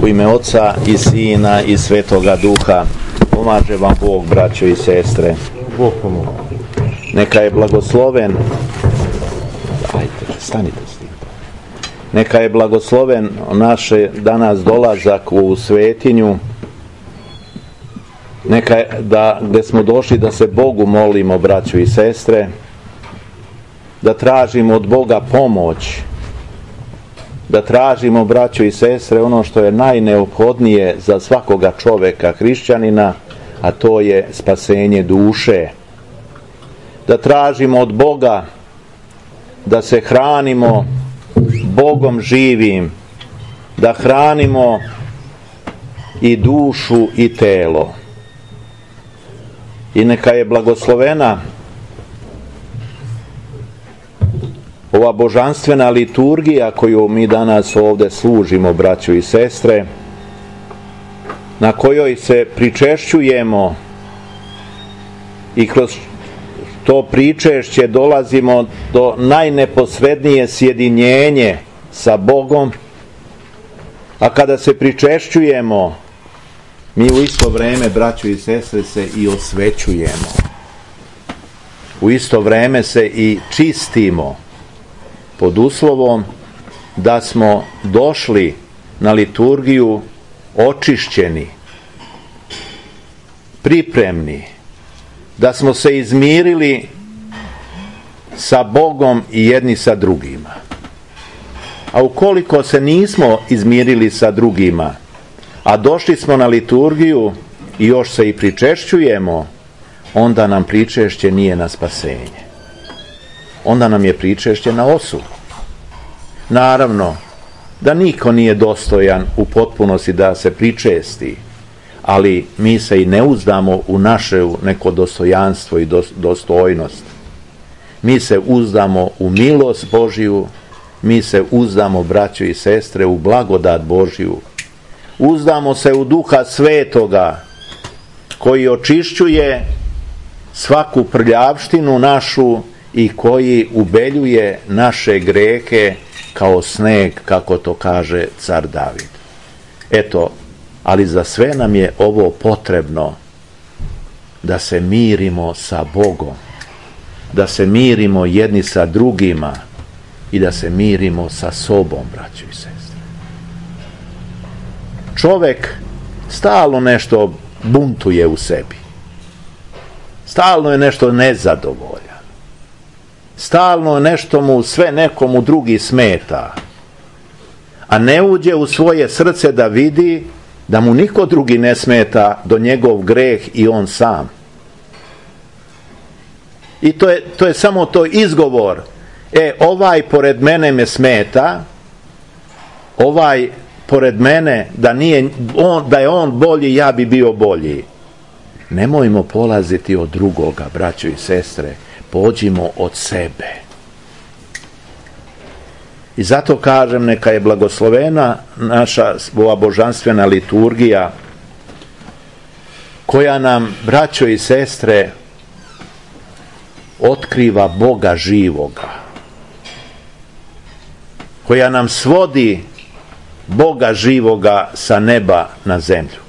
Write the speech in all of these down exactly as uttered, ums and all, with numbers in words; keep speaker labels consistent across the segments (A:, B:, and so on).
A: ime Oca i Sina i Svetoga Duha. Pomaže vam Bog, braćo i sestre.
B: Bog pomože.
A: Neka je blagosloven. Ajde, stanite s tim. Neka je blagosloven naš danas dolazak u svetinju. Neka je da, gdje smo došli da se Bogu molimo, braćo i sestre, da tražimo od Boga pomoć, da tražimo, braćo i sestre, ono što je najneophodnije za svakoga čoveka, hrišćanina, a to je spasenje duše. Da tražimo od Boga da se hranimo Bogom živim, da hranimo i dušu i telo. I neka je blagoslovena ova božanstvena liturgija koju mi danas ovdje služimo, braćo i sestre, na kojoj se pričešćujemo i kroz to pričešće dolazimo do najneposrednije sjedinjenje sa Bogom, a kada se pričešćujemo, mi u isto vrijeme, braćo i sestre, se i osvećujemo. U isto vrijeme se i čistimo, pod uslovom da smo došli na liturgiju očišćeni, pripremni, da smo se izmirili sa Bogom i jedni sa drugima. A ukoliko se nismo izmirili sa drugima, a došli smo na liturgiju i još se i pričešćujemo, onda nam pričešće nije na spasenje. Onda nam je pričešće na osudu. Naravno da niko nije dostojan u potpunosti da se pričesti, ali mi se i ne uzdamo u naše neko dostojanstvo i dostojnost. Mi se uzdamo u milost Božiju, mi se uzdamo, braćo i sestre, u blagodat Božiju. Uzdamo se u Duha Svetoga koji očišćuje svaku prljavštinu našu i koji ubeljuje naše grehe kao sneg, kako to kaže car David. Eto, ali za sve nam je ovo potrebno, da se mirimo sa Bogom, da se mirimo jedni sa drugima i da se mirimo sa sobom, braćo i sestre. Čovjek stalno nešto buntuje u sebi. Stalno je nešto nezadovoljan. Stalno nešto mu, sve nekomu drugi smeta. A ne uđe u svoje srce da vidi da mu niko drugi ne smeta do njegov greh i on sam. I to je, to je samo to izgovor. E, ovaj pored mene me smeta, ovaj pored mene, da, nije, on, da je on bolji, ja bi bio bolji. Nemojmo polaziti od drugoga, braćo i sestre, pođimo od sebe. I zato kažem, neka je blagoslovena naša ova božanstvena liturgija, koja nam, braćo i sestre, otkriva Boga živoga, koja nam svodi Boga živoga sa neba na zemlju.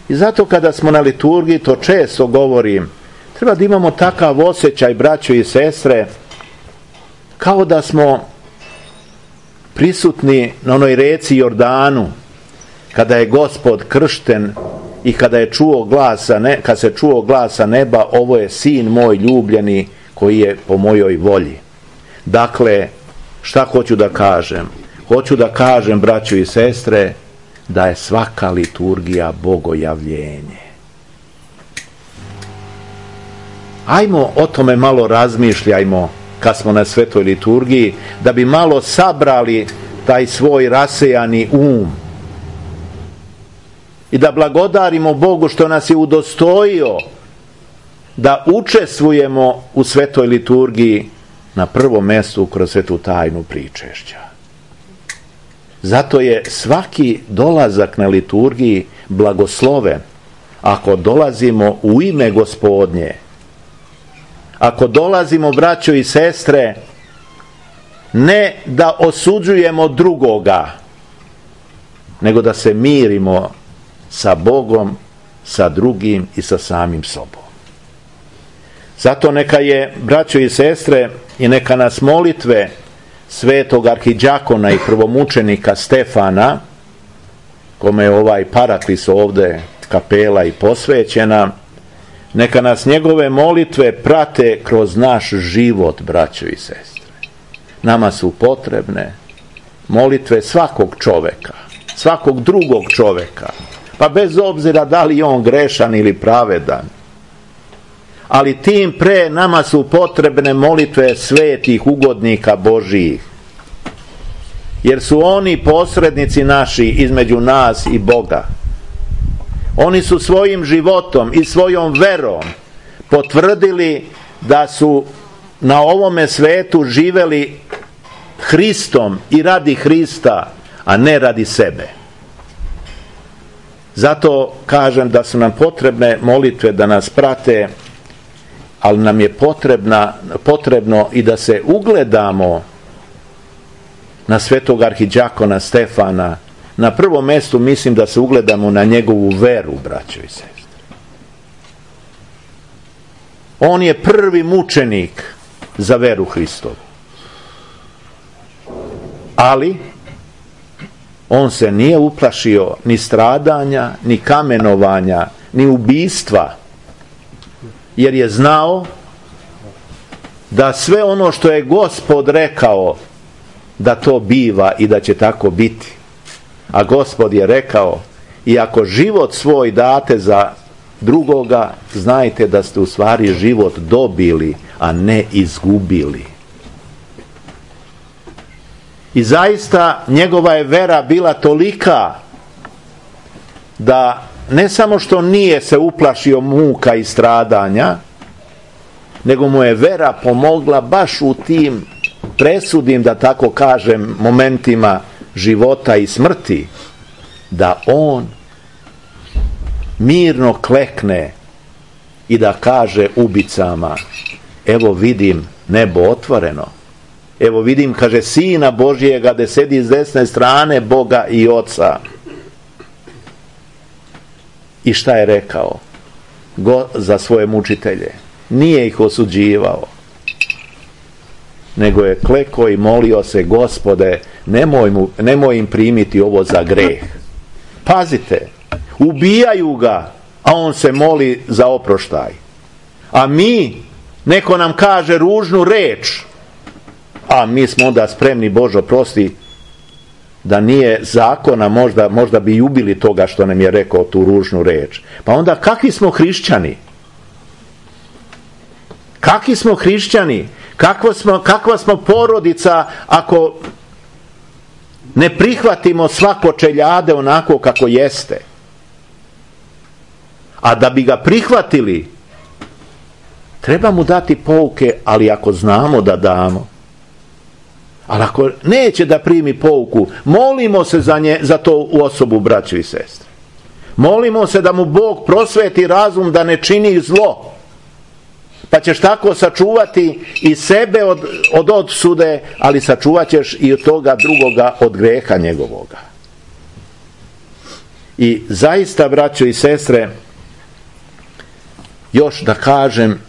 A: I zato kada smo na liturgiji, to često govorim, treba da imamo takav osjećaj, braćo i sestre, kao da smo prisutni na onoj reci Jordanu, kada je Gospod kršten i kada je čuo glasa, ne, kad se čuo glasa neba, ovo je sin moj ljubljeni koji je po mojoj volji. Dakle, šta hoću da kažem? Hoću da kažem, braćo i sestre, da je svaka liturgija bogojavljenje. Ajmo o tome malo razmišljajmo kad smo na svetoj liturgiji, da bi malo sabrali taj svoj rasejani um i da blagodarimo Bogu što nas je udostojio da učestvujemo u svetoj liturgiji, na prvom mjestu kroz svetu tajnu pričešća. Zato je svaki dolazak na liturgiji blagosloven ako dolazimo u ime Gospodnje, ako dolazimo, braćo i sestre, ne da osuđujemo drugoga, nego da se mirimo sa Bogom, sa drugim i sa samim sobom. Zato neka je, braćo i sestre, i neka nas molitve svetog arhidjakona i prvomučenika Stefana, kome je ovaj paraklis ovdje kapela i posvećena, neka nas njegove molitve prate kroz naš život, braćo i sestre. Nama su potrebne molitve svakog čoveka, svakog drugog čoveka, pa bez obzira da li je on grešan ili pravedan. Ali tim pre nama su potrebne molitve svetih ugodnika Božijih, jer su oni posrednici naši između nas i Boga. Oni su svojim životom i svojom verom potvrdili da su na ovome svetu živeli Hristom i radi Hrista, a ne radi sebe. Zato kažem da su nam potrebne molitve da nas prate, ali nam je potrebna, potrebno i da se ugledamo na svetog arhidjakona Stefana. Na prvom mjestu mislim da se ugledamo na njegovu veru, braćo i sestre. On je prvi mučenik za veru Hristovu. Ali on se nije uplašio ni stradanja, ni kamenovanja, ni ubistva, jer je znao da sve ono što je Gospod rekao, da to biva i da će tako biti. A Gospod je rekao, i ako život svoj date za drugoga, znajte da ste u stvari život dobili, a ne izgubili. I zaista njegova je vera bila tolika da ne samo što nije se uplašio muka i stradanja, nego mu je vera pomogla baš u tim presudnim, da tako kažem, momentima života i smrti, da on mirno klekne i da kaže ubicama, evo vidim nebo otvoreno, evo vidim, kaže, Sina Božijega da sedi s desne strane Boga i Oca. I šta je rekao Go, za svoje mučitelje? Nije ih osuđivao, nego je klekao i molio se, Gospode, nemoj, mu, nemoj im primiti ovo za greh. Pazite, ubijaju ga, a on se moli za oproštaj. A mi, neko nam kaže ružnu reč, a mi smo onda spremni, Bože oprosti, da nije zakona, možda, možda bi ubili toga što nam je rekao tu ružnu reč. Pa onda kakvi smo hrišćani? Kakvi smo hrišćani? Kakva smo, kakva smo porodica ako ne prihvatimo svako čeljade onako kako jeste? A da bi ga prihvatili, treba mu dati pouke, ali ako znamo da damo. Ali ako neće da primi pouku, molimo se za, nje, za to u osobu, braćo i sestre. Molimo se da mu Bog prosveti razum da ne čini zlo. Pa ćeš tako sačuvati i sebe od, od odsude, ali sačuvat ćeš i od toga drugoga od greha njegovoga. I zaista, braćo i sestre, još da kažem,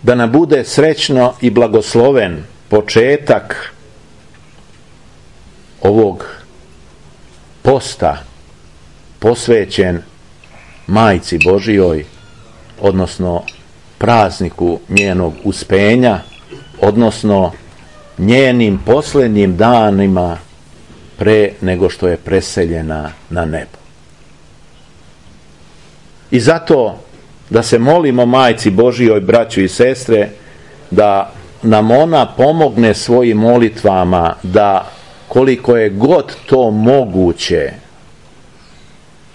A: da nam bude srećno i blagosloven početak ovog posta posvećen Majci Božijoj, odnosno prazniku njenog uspenja, odnosno njenim posljednjim danima pre nego što je preseljena na nebo. I zato da se molimo Majci Božijoj, braćo i sestre, da nam ona pomogne svojim molitvama, da koliko je god to moguće,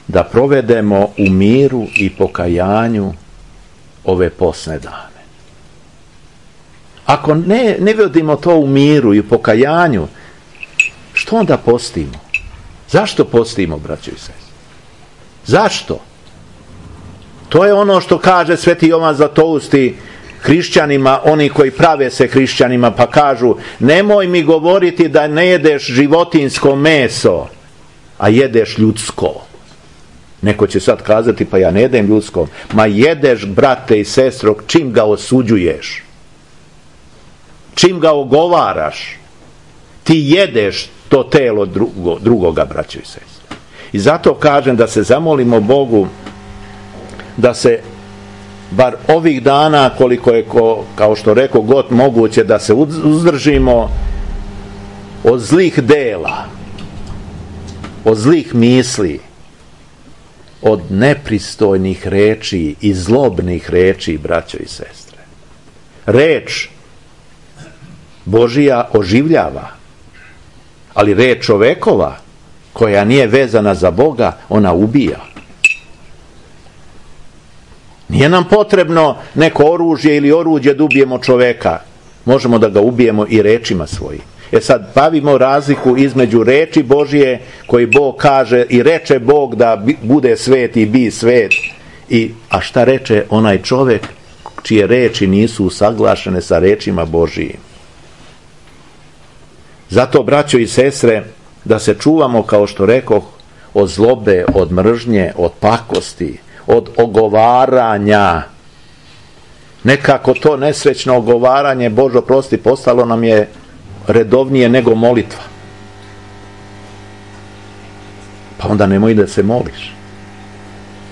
A: da provedemo u miru i pokajanju ove posne dane. Ako ne, ne vidimo to u miru i u pokajanju, što onda postimo? Zašto postimo, braćo i sestre? Zašto? To je ono što kaže Sveti Jovan Zlatousti hrišćanima, oni koji prave se hrišćanima, pa kažu, nemoj mi govoriti da ne jedeš životinjsko meso, a jedeš ljudsko. Neko će sad kazati, pa ja ne jedem ljudsko. Ma jedeš, brate i sestro, čim ga osuđuješ, čim ga ogovaraš, ti jedeš to telo drugo, drugoga, braćo i sestre. I zato kažem da se zamolimo Bogu da se bar ovih dana, koliko je, ko, kao što rekao, god moguće, da se uzdržimo od zlih dela, od zlih misli, od nepristojnih reči i zlobnih reči, braćo i sestre. Reč Božija oživljava, ali reč čovekova, koja nije vezana za Boga, ona ubija. Nije nam potrebno neko oružje ili oruđe da ubijemo čoveka. Možemo da ga ubijemo i rečima svojim. E sad, bavimo razliku između reči Božije, koji Bog kaže i reče Bog da bude svet i bi svet. I, a šta reče onaj čovek čije reči nisu usaglašene sa rečima Božijim? Zato, braćo i sestre, da se čuvamo, kao što rekoh, od zlobe, od mržnje, od pakosti, od ogovaranja. Nekako to nesrećno ogovaranje, Bože oprosti, postalo nam je redovnije nego molitva. Pa onda nemoj da se moliš.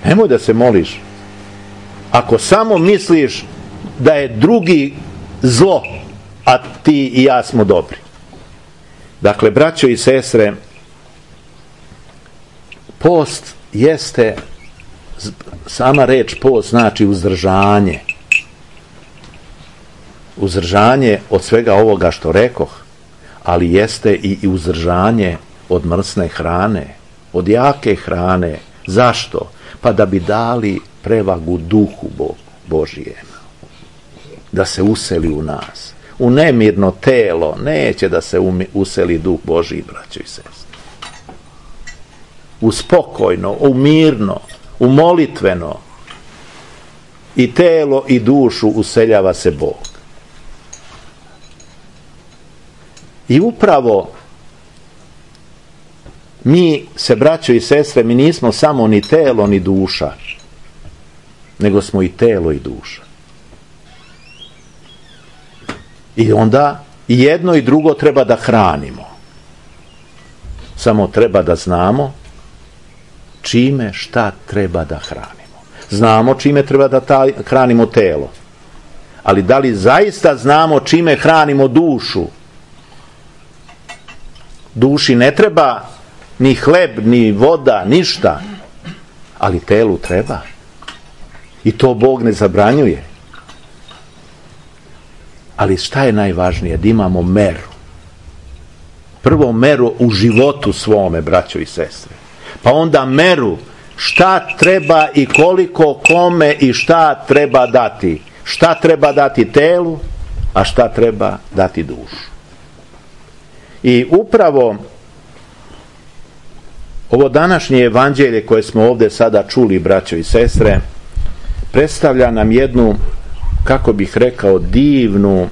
A: Nemoj da se moliš. Ako samo misliš da je drugi zlo, a ti i ja smo dobri. Dakle, braćo i sestre, post jeste, sama reč post znači uzdržanje. Uzdržanje od svega ovoga što rekoh, ali jeste i uzdržanje od mrsne hrane, od jake hrane. Zašto? Pa da bi dali prevagu duhu Božijem, da se useli u nas. U nemirno telo neće da se useli duh Božji, braćo i sestre. U spokojno, u mirno, u molitveno i telo i dušu useljava se Bog. I upravo mi se, braćo i sestre, mi nismo samo ni telo ni duša, nego smo i telo i duša. I onda i jedno i drugo treba da hranimo. Samo treba da znamo čime šta treba da hranimo. Znamo čime treba da ta, hranimo telo. Ali da li zaista znamo čime hranimo dušu? Duši ne treba ni hleb, ni voda, ništa. Ali telu treba. I to Bog ne zabranjuje. Ali šta je najvažnije? Da imamo meru. Prvo meru u životu svome, braćo i sestre. Pa onda meru šta treba i koliko kome i šta treba dati. Šta treba dati telu, a šta treba dati dušu. I upravo ovo današnje evanđelje koje smo ovdje sada čuli, braćo i sestre, predstavlja nam jednu, kako bih rekao, divnu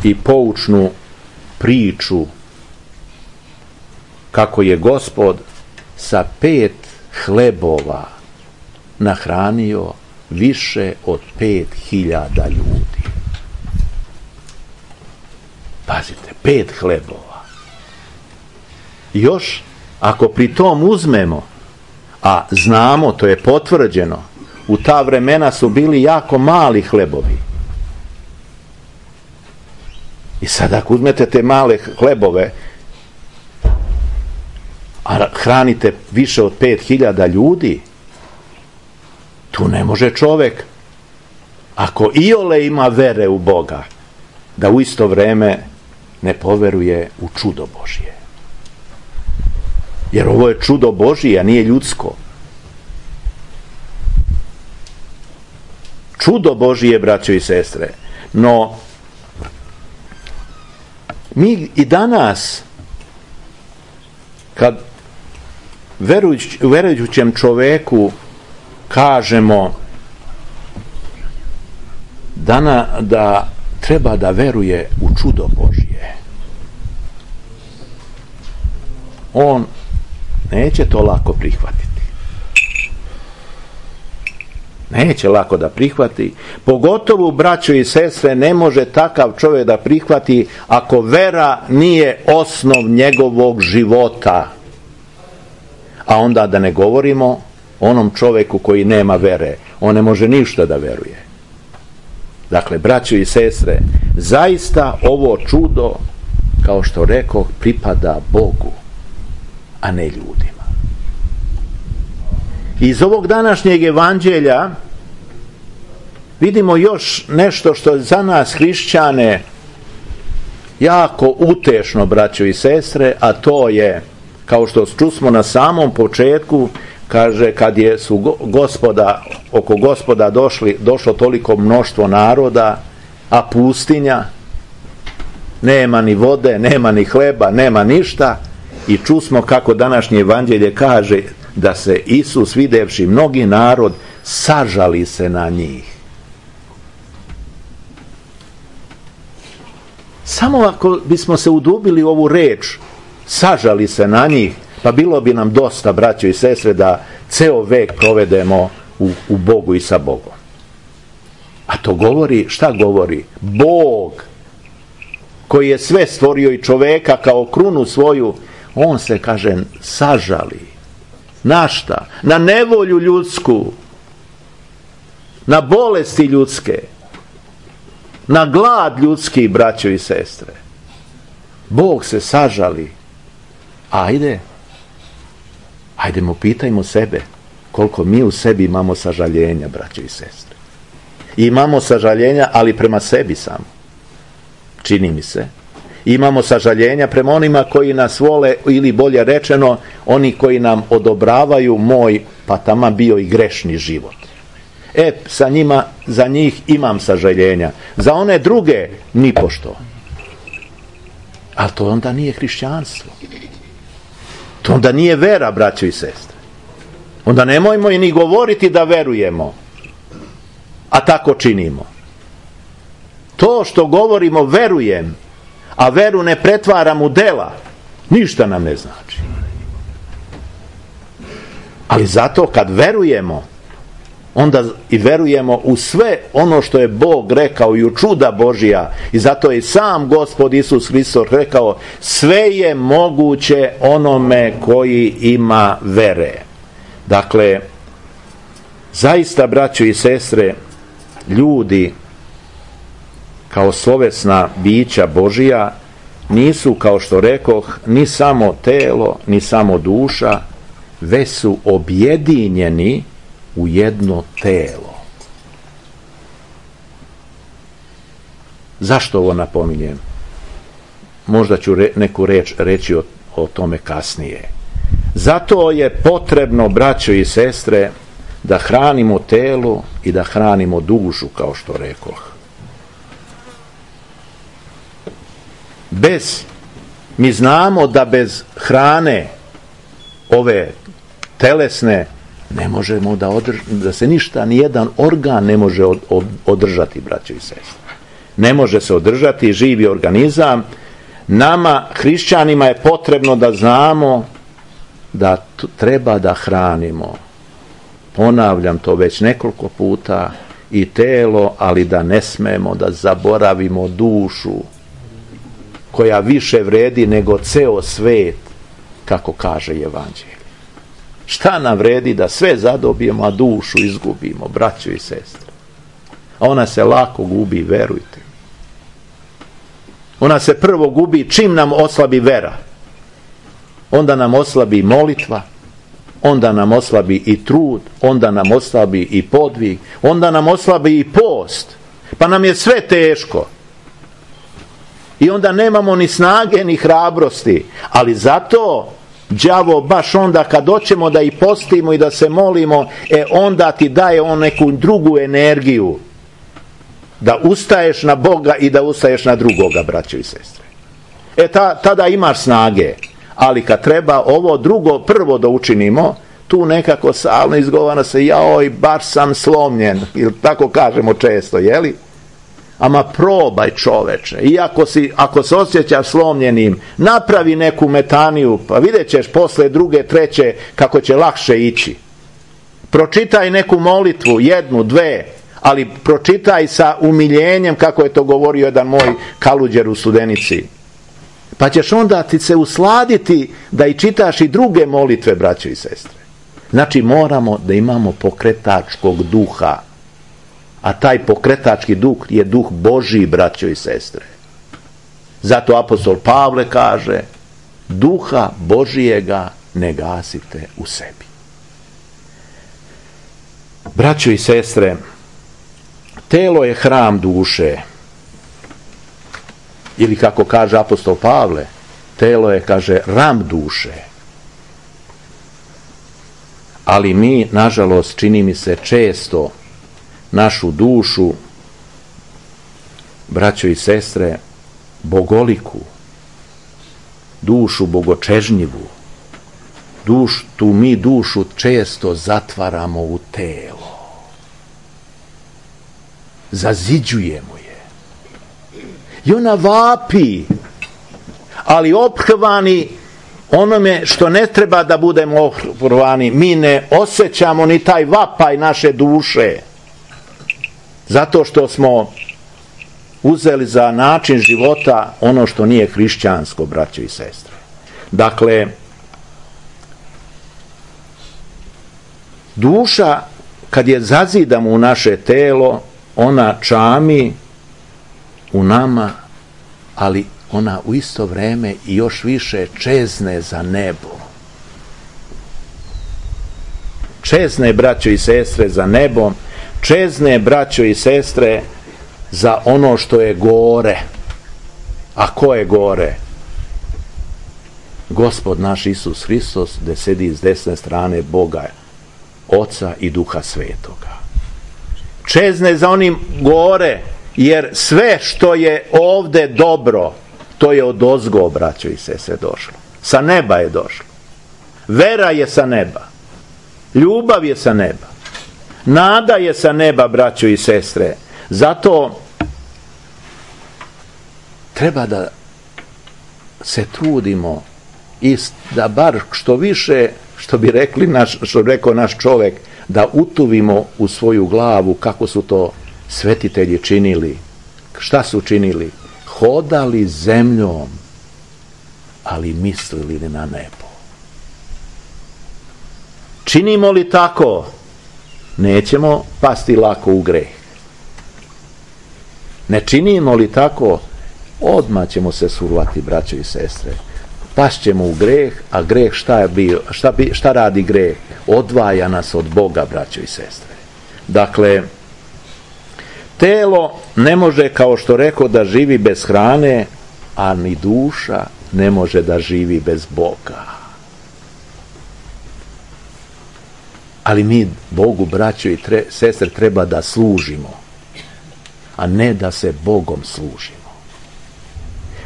A: i poučnu priču kako je Gospod sa pet hlebova nahranio više od pet hiljada ljudi. Pazite, pet hlebova. Još, ako pri tom uzmemo, a znamo, to je potvrđeno, u ta vremena su bili jako mali hlebovi. I sad ako uzmete te male hlebove, a hranite više od pet hiljada ljudi, tu ne može čovek, ako iole ima vere u Boga, da u isto vreme ne poveruje u čudo Božje. Jer ovo je čudo Božje, a nije ljudsko. Čudo Božje, braćo i sestre. No, mi i danas, kad verujuć, verujućem čoveku kažemo dana, da treba da veruje u čudo Božje, on neće to lako prihvatiti. Neće lako da prihvati. Pogotovo, braćo i sestre, ne može takav čovjek da prihvati ako vera nije osnov njegovog života. A onda da ne govorimo onom čovjeku koji nema vere. On ne može ništa da veruje. Dakle, braćo i sestre, zaista ovo čudo, kao što rekoh, pripada Bogu, a ne ljudima. Iz ovog današnjeg evanđelja vidimo još nešto što je za nas hrišćane jako utešno, braćo i sestre, a to je, kao što čusmo na samom početku, kaže, kad je su gospoda, oko gospoda došli, došlo toliko mnoštvo naroda, a pustinja, nema ni vode, nema ni hleba, nema ništa, i čusmo kako današnje evanđelje kaže da se Isus, videvši mnogi narod, sažali se na njih. Samo ako bismo se udubili u ovu reč, sažali se na njih, pa bilo bi nam dosta, braćo i sestre, da ceo vek provedemo u, u Bogu i sa Bogom. A to govori, šta govori? Bog, koji je sve stvorio i čoveka kao krunu svoju, on se, kaže, sažali. Na šta? Na nevolju ljudsku, na bolesti ljudske, na glad ljudski, braćo i sestre. Bog se sažali. Ajde, ajdemo, pitajmo sebe koliko mi u sebi imamo sažaljenja, braćo i sestre. I imamo sažaljenja, ali prema sebi samo. Čini mi se. Imamo sažaljenja prema onima koji nas vole, ili bolje rečeno, oni koji nam odobravaju moj, pa tama bio i grešni život. E, sa njima, za njih imam sažaljenja. Za one druge, nipošto. Ali to onda nije hrišćanstvo. To onda nije vera, braćo i sestre. Onda nemojmo i ni govoriti da verujemo, a tako činimo. To što govorimo verujem, a veru ne pretvaram u dela, ništa nam ne znači. Ali zato kad verujemo, onda i verujemo u sve ono što je Bog rekao i u čuda Božija, i zato je i sam Gospod Isus Hristos rekao, sve je moguće onome koji ima vere. Dakle, zaista, braćo i sestre, ljudi kao slovesna bića Božija nisu, kao što rekoh, ni samo telo, ni samo duša, već su objedinjeni u jedno telo. Zašto ovo napominjem? Možda ću re, neku reč reći o, o tome kasnije. Zato je potrebno, braćo i sestre, da hranimo telo i da hranimo dušu, kao što rekoh. Bez, mi znamo da bez hrane ove telesne ne možemo da, održ, da se ništa, nijedan organ ne može od, od, održati, braćo i sestre. Ne može se održati živi organizam. Nama, hrišćanima, je potrebno da znamo da t- treba da hranimo. Ponavljam to već nekoliko puta, i telo, ali da ne smemo da zaboravimo dušu, koja više vredi nego ceo svet, kako kaže evanđelje. Šta nam vredi da sve zadobijemo, a dušu izgubimo, braćo i sestre? A ona se lako gubi, verujte. Ona se prvo gubi čim nam oslabi vera. Onda nam oslabi molitva, onda nam oslabi i trud, onda nam oslabi i podvig, onda nam oslabi i post, pa nam je sve teško. I onda nemamo ni snage, ni hrabrosti. Ali zato đavo baš onda kad hoćemo da i postimo i da se molimo, e onda ti daje on neku drugu energiju. Da ustaješ na Boga i da ustaješ na drugoga, braćo i sestre. E ta, tada imaš snage. Ali kad treba ovo drugo prvo da učinimo, tu nekako salno izgovara se, jaoj, baš sam slomljen. Ili tako kažemo često, jeli? Ama probaj, čoveče, i ako, si, ako se osjećaš slomljenim, napravi neku metaniju, pa vidjet ćeš posle druge, treće kako će lakše ići. Pročitaj neku molitvu, jednu, dve, ali pročitaj sa umiljenjem, kako je to govorio jedan moj kaluđer u Studenici. Pa ćeš onda ti se usladiti da i čitaš i druge molitve, braćo i sestre. Znači moramo da imamo pokretačkog duha. A taj pokretački duh je duh Božji, braćo i sestre. Zato apostol Pavle kaže, duha Božijega ne gasite u sebi. Braćo i sestre, telo je hram duše. Ili kako kaže apostol Pavle, telo je, kaže, ram duše. Ali mi, nažalost, čini mi se često, našu dušu, braćo i sestre, bogoliku, dušu bogočežnjivu, duš, tu mi dušu često zatvaramo u telo. Zaziđujemo je. I ona vapi, ali ophrvani onome što ne treba da budemo ophrvani, mi ne osjećamo ni taj vapaj naše duše. Zato što smo uzeli za način života ono što nije hrišćansko, braćo i sestre. Dakle, duša, kad je zazidamo u naše telo, ona čami u nama, ali ona u isto vreme i još više čezne za nebo. Čezne, braćo i sestre, za nebom, čezne, braćo i sestre, za ono što je gore. A ko je gore? Gospod naš Isus Hristos, gde sedi s desne strane Boga, Oca i Duha Svetoga. Čezne za onim gore, jer sve što je ovde dobro, to je od ozgo, braćo i sestre, došlo. Sa neba je došlo. Vera je sa neba. Ljubav je sa neba. Nada je sa neba, braćo i sestre. Zato treba da se trudimo i da bar što više, što bi rekli naš, što bi rekao naš čovjek, da utuvimo u svoju glavu kako su to svetitelji činili. Šta su činili? Hodali zemljom, ali mislili na nebo. Činimo li tako, nećemo pasti lako u greh. Ne činimo li tako, odmah ćemo se survati, braćo i sestre. Pašćemo u greh, a greh šta je bio? Šta, bi, šta radi greh? Odvaja nas od Boga, braćo i sestre. Dakle, telo ne može, kao što rekao, da živi bez hrane, a ni duša ne može da živi bez Boga. Ali mi Bogu, braćo i tre, sestre, treba da služimo, a ne da se Bogom služimo.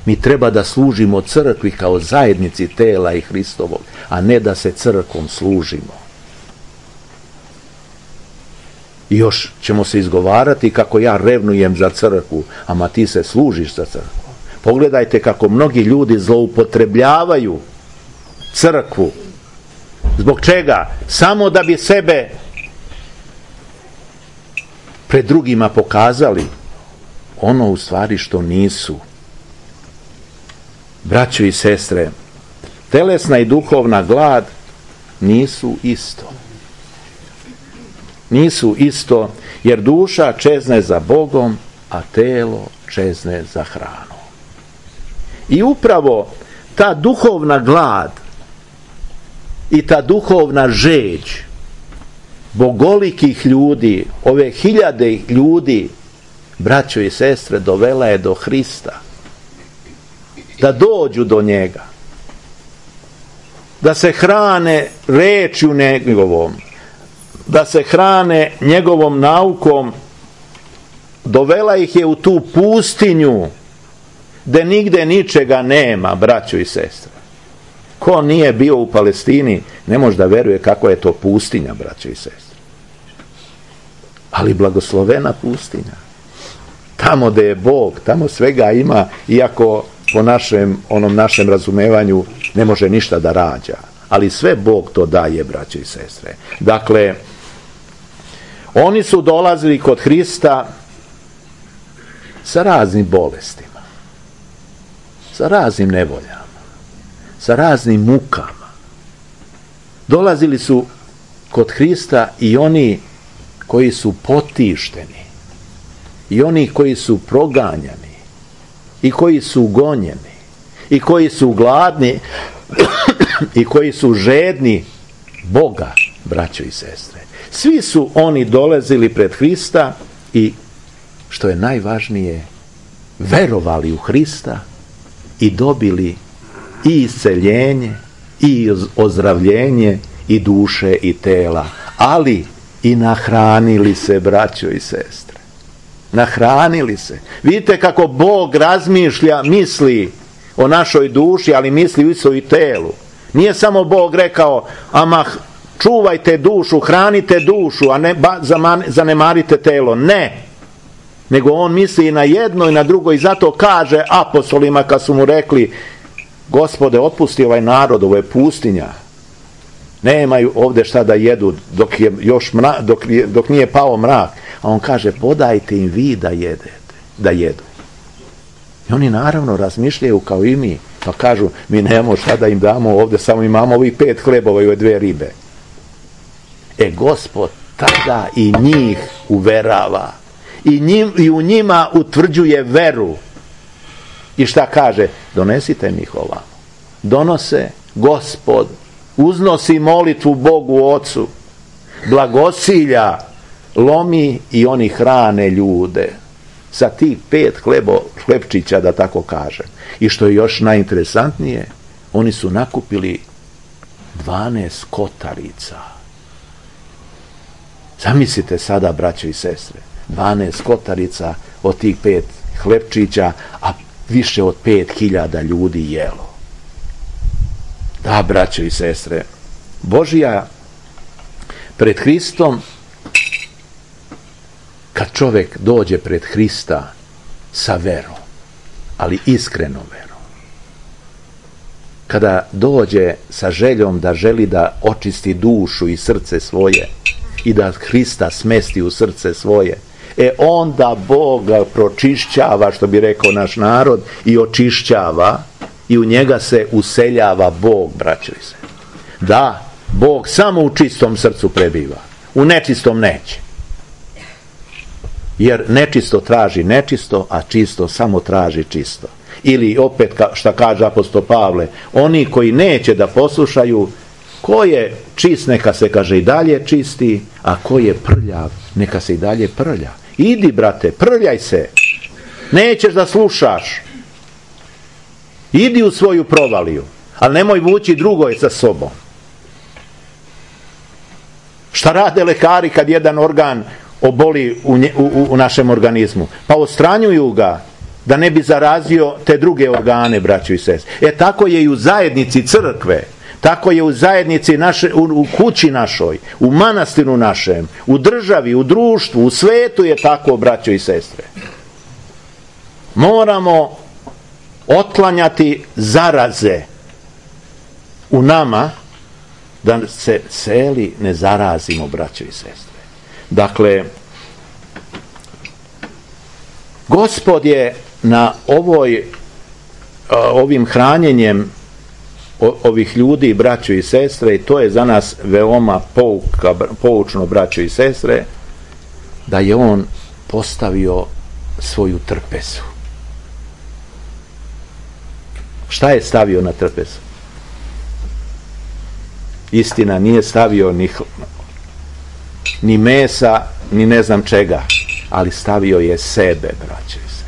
A: Mi treba da služimo crkvi kao zajednici tela i Hristovog, a ne da se crkvom služimo. I još ćemo se izgovarati kako ja revnujem za crkvu, ama ti se služiš za crkvu. Pogledajte kako mnogi ljudi zloupotrebljavaju crkvu. Zbog čega? Samo da bi sebe pred drugima pokazali ono u stvari što nisu. Braćo i sestre, telesna i duhovna glad nisu isto. Nisu isto, jer duša čezne za Bogom, a telo čezne za hranu. I upravo ta duhovna glad i ta duhovna žeđ bogolikih ljudi, ove hiljade ljudi, braćo i sestre, dovela je do Hrista. Da dođu do njega. Da se hrane rečju njegovom. Da se hrane njegovom naukom. Dovela ih je u tu pustinju gde nigde ničega nema, braćo i sestre. Ko nije bio u Palestini, ne može da veruje kako je to pustinja, braćo i sestre. Ali blagoslovena pustinja. Tamo gdje je Bog, tamo svega ima, iako po našem, onom našem razumevanju ne može ništa da rađa. Ali sve Bog to daje, braće i sestre. Dakle, oni su dolazili kod Hrista sa raznim bolestima, sa raznim nevoljama, sa raznim mukama. Dolazili su kod Hrista i oni koji su potišteni, i oni koji su proganjani, i koji su gonjeni, i koji su gladni, i koji su žedni Boga, braćo i sestre. Svi su oni dolazili pred Hrista i, što je najvažnije, verovali u Hrista i dobili i isceljenje, i ozdravljenje, i duše i tela, ali i nahranili se, braćo i sestre. Nahranili se. Vidite kako Bog razmišlja, misli o našoj duši, ali misli isto i telu. Nije samo Bog rekao, ama čuvajte dušu, hranite dušu, a ne ba, zanemarite telo. Ne. Nego on misli i na jedno i na drugo, i zato kaže apostolima kad su mu rekli, Gospode, otpusti ovaj narod, ovo je pustinja. Nemaju ovdje šta da jedu dok, je još mrak, dok, je, dok nije pao mrak. A on kaže, podajte im vi da jedete, da jedu. I oni naravno razmišljaju kao i mi, pa kažu, mi nemamo šta da im damo ovdje, samo imamo ovih pet hlebova i ove dve ribe. E, Gospod tada i njih uverava i, njim, i u njima utvrđuje veru. I šta kaže? Donesite mi ih ovamo. Donose Gospod, uznosi molitvu Bogu Ocu, blagosilja, lomi i oni hrane ljude sa tih pet hlebo, hlebčića, da tako kažem. I što je još najinteresantnije, oni su nakupili dvanaest kotarica. Zamislite sada, braćo i sestre, dvanaest kotarica od tih pet hlebčića, a više od pet hiljada ljudi jelo. Da, braćo i sestre, Božja pred Hristom, kad čovjek dođe pred Hrista sa verom, ali iskrenom verom, kada dođe sa željom da želi da očisti dušu i srce svoje i da Hrista smesti u srce svoje, e onda Bog ga pročišćava, što bi rekao naš narod, i očišćava, i u njega se useljava Bog, braćo i sestre. Da, Bog samo u čistom srcu prebiva, u nečistom neće. Jer nečisto traži nečisto, a čisto samo traži čisto. Ili opet, šta kaže apostol Pavle, oni koji neće da poslušaju, ko je čist, neka se, kaže, i dalje čisti, a ko je prljav, neka se i dalje prlja. Idi, brate, prljaj se. Nećeš da slušaš. Idi u svoju provaliju, ali nemoj vući drugoj sa sobom. Šta rade lekari kad jedan organ oboli u, nje, u, u našem organizmu? Pa odstranjuju ga da ne bi zarazio te druge organe, braćo i sestre. E tako je i u zajednici crkve, tako je u zajednici naše, u, u kući našoj, u manastiru našem, u državi, u društvu, u svetu je tako, braćo i sestre. Moramo otklanjati zaraze u nama, da se celi ne zarazimo, braćo i sestre. Dakle, Gospod je na ovoj, ovim hranjenjem ovih ljudi, braćo i sestre, i to je za nas veoma pouka, poučno, braćo i sestre, da je on postavio svoju trpezu. Šta je stavio na trpezu? Istina, nije stavio ni, ni mesa, ni ne znam čega, ali stavio je sebe, braćo i sestre.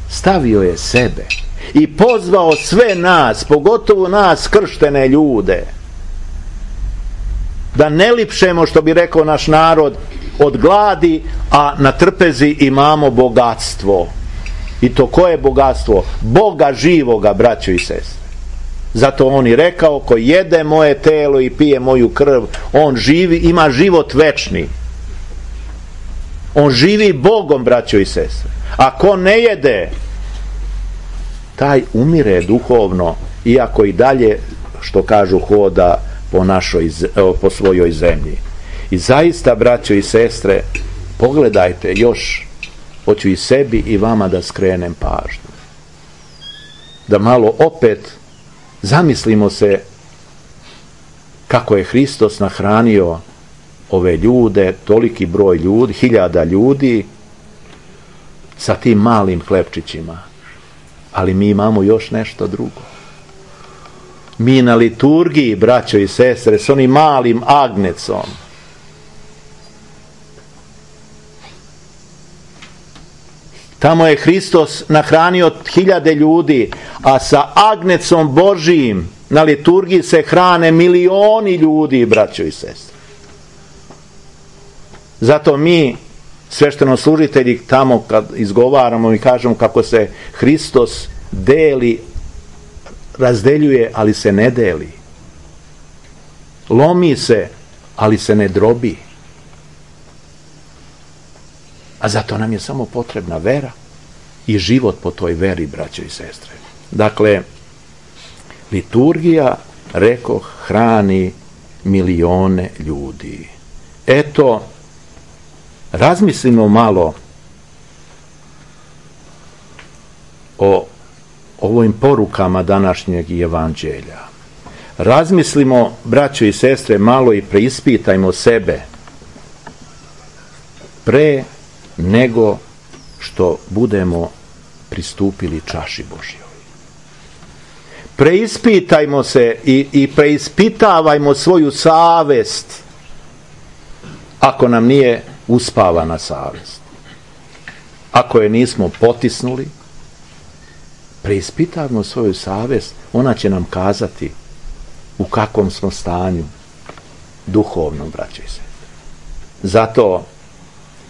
A: Stavio je sebe i pozvao sve nas, pogotovo nas krštene ljude, da ne lipšemo, što bi rekao naš narod, od gladi, a na trpezi imamo bogatstvo. I to koje bogatstvo? Boga živoga, braćo i sestre. Zato on i rekao, ko jede moje telo i pije moju krv, on živi, ima život večni. On živi Bogom, braćo i sestre. Ako ne jede, taj umire duhovno, iako i dalje, što kažu, hoda po, našoj, po svojoj zemlji. I zaista, braćo i sestre, pogledajte još, hoću i sebi i vama da skrenem pažnju. Da malo opet zamislimo se kako je Hristos nahranio ove ljude, toliki broj ljudi, hiljada ljudi, sa tim malim hlebčićima. Ali mi imamo još nešto drugo. Mi na liturgiji, braćo i sestre, s onim malim agnecom, tamo je Hristos nahranio hiljade ljudi, a sa agnecom Božijim na liturgiji se hrane milioni ljudi, braćo i sestre. Zato mi, sveštenoslужitelji, tamo kad izgovaramo i kažemo kako se Hristos deli, razdeljuje, ali se ne deli. Lomi se, ali se ne drobi. A zato nam je samo potrebna vera i život po toj veri, braćo i sestre. Dakle, liturgija, rekoh, hrani milione ljudi. Eto, razmislimo malo o ovim porukama današnjeg evanđelja. Razmislimo, braćo i sestre, malo i preispitajmo sebe pre nego što budemo pristupili čaši Božjoj. Preispitajmo se i, i preispitavajmo svoju savest ako nam nije uspavana savest. Ako je nismo potisnuli, preispitavamo svoju savest, ona će nam kazati u kakvom smo stanju duhovnom, braćo i sestre. Zato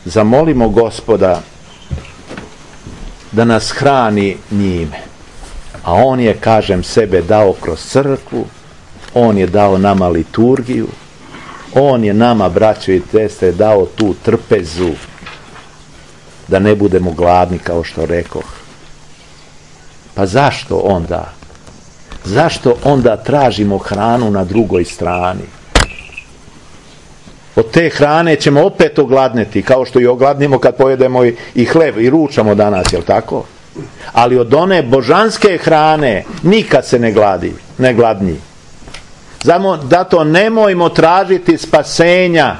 A: zamolimo Gospoda da nas hrani njime. A on je, kažem, sebe dao kroz crkvu, on je dao nama liturgiju, on je nama, braćo i sestre, dao tu trpezu da ne budemo gladni, kao što rekoh. Pa zašto onda? Zašto onda tražimo hranu na drugoj strani? Od te hrane ćemo opet ogladneti, kao što i ogladnimo kad pojedemo i, i hleb i ručamo danas, jel tako? Ali od one božanske hrane nikad se ne gladi, ne gladni. Zato nemojmo tražiti spasenja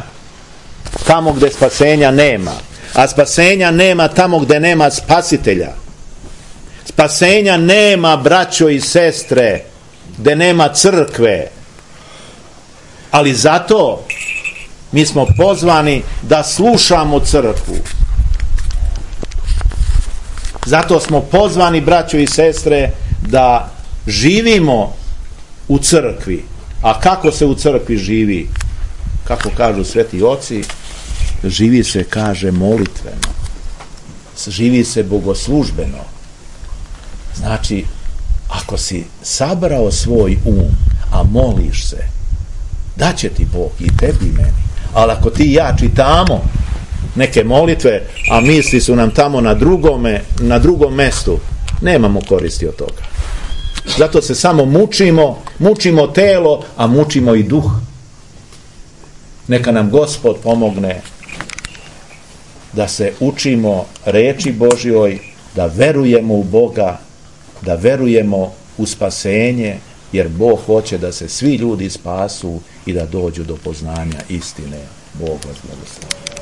A: tamo gdje spasenja nema. A spasenja nema tamo gdje nema spasitelja. Spasenja nema, braćo i sestre, gdje nema crkve. Ali zato mi smo pozvani da slušamo crkvu. Zato smo pozvani, braćo i sestre, da živimo u crkvi. A kako se u crkvi živi? Kako kažu sveti oci, živi se, kaže, molitveno. Živi se bogoslužbeno. Znači, ako si sabrao svoj um, a moliš se, daće ti Bog i tebi i meni. Ali ako ti i ja čitamo neke molitve, a misli su nam tamo na drugome, na drugom mestu, nemamo koristi od toga. Zato se samo mučimo, mučimo telo, a mučimo i duh. Neka nam Gospod pomogne da se učimo reči Božjoj, da verujemo u Boga, da verujemo u spasenje, jer Bog hoće da se svi ljudi spasu i da dođu do poznanja istine. Bog vas blagoslovi.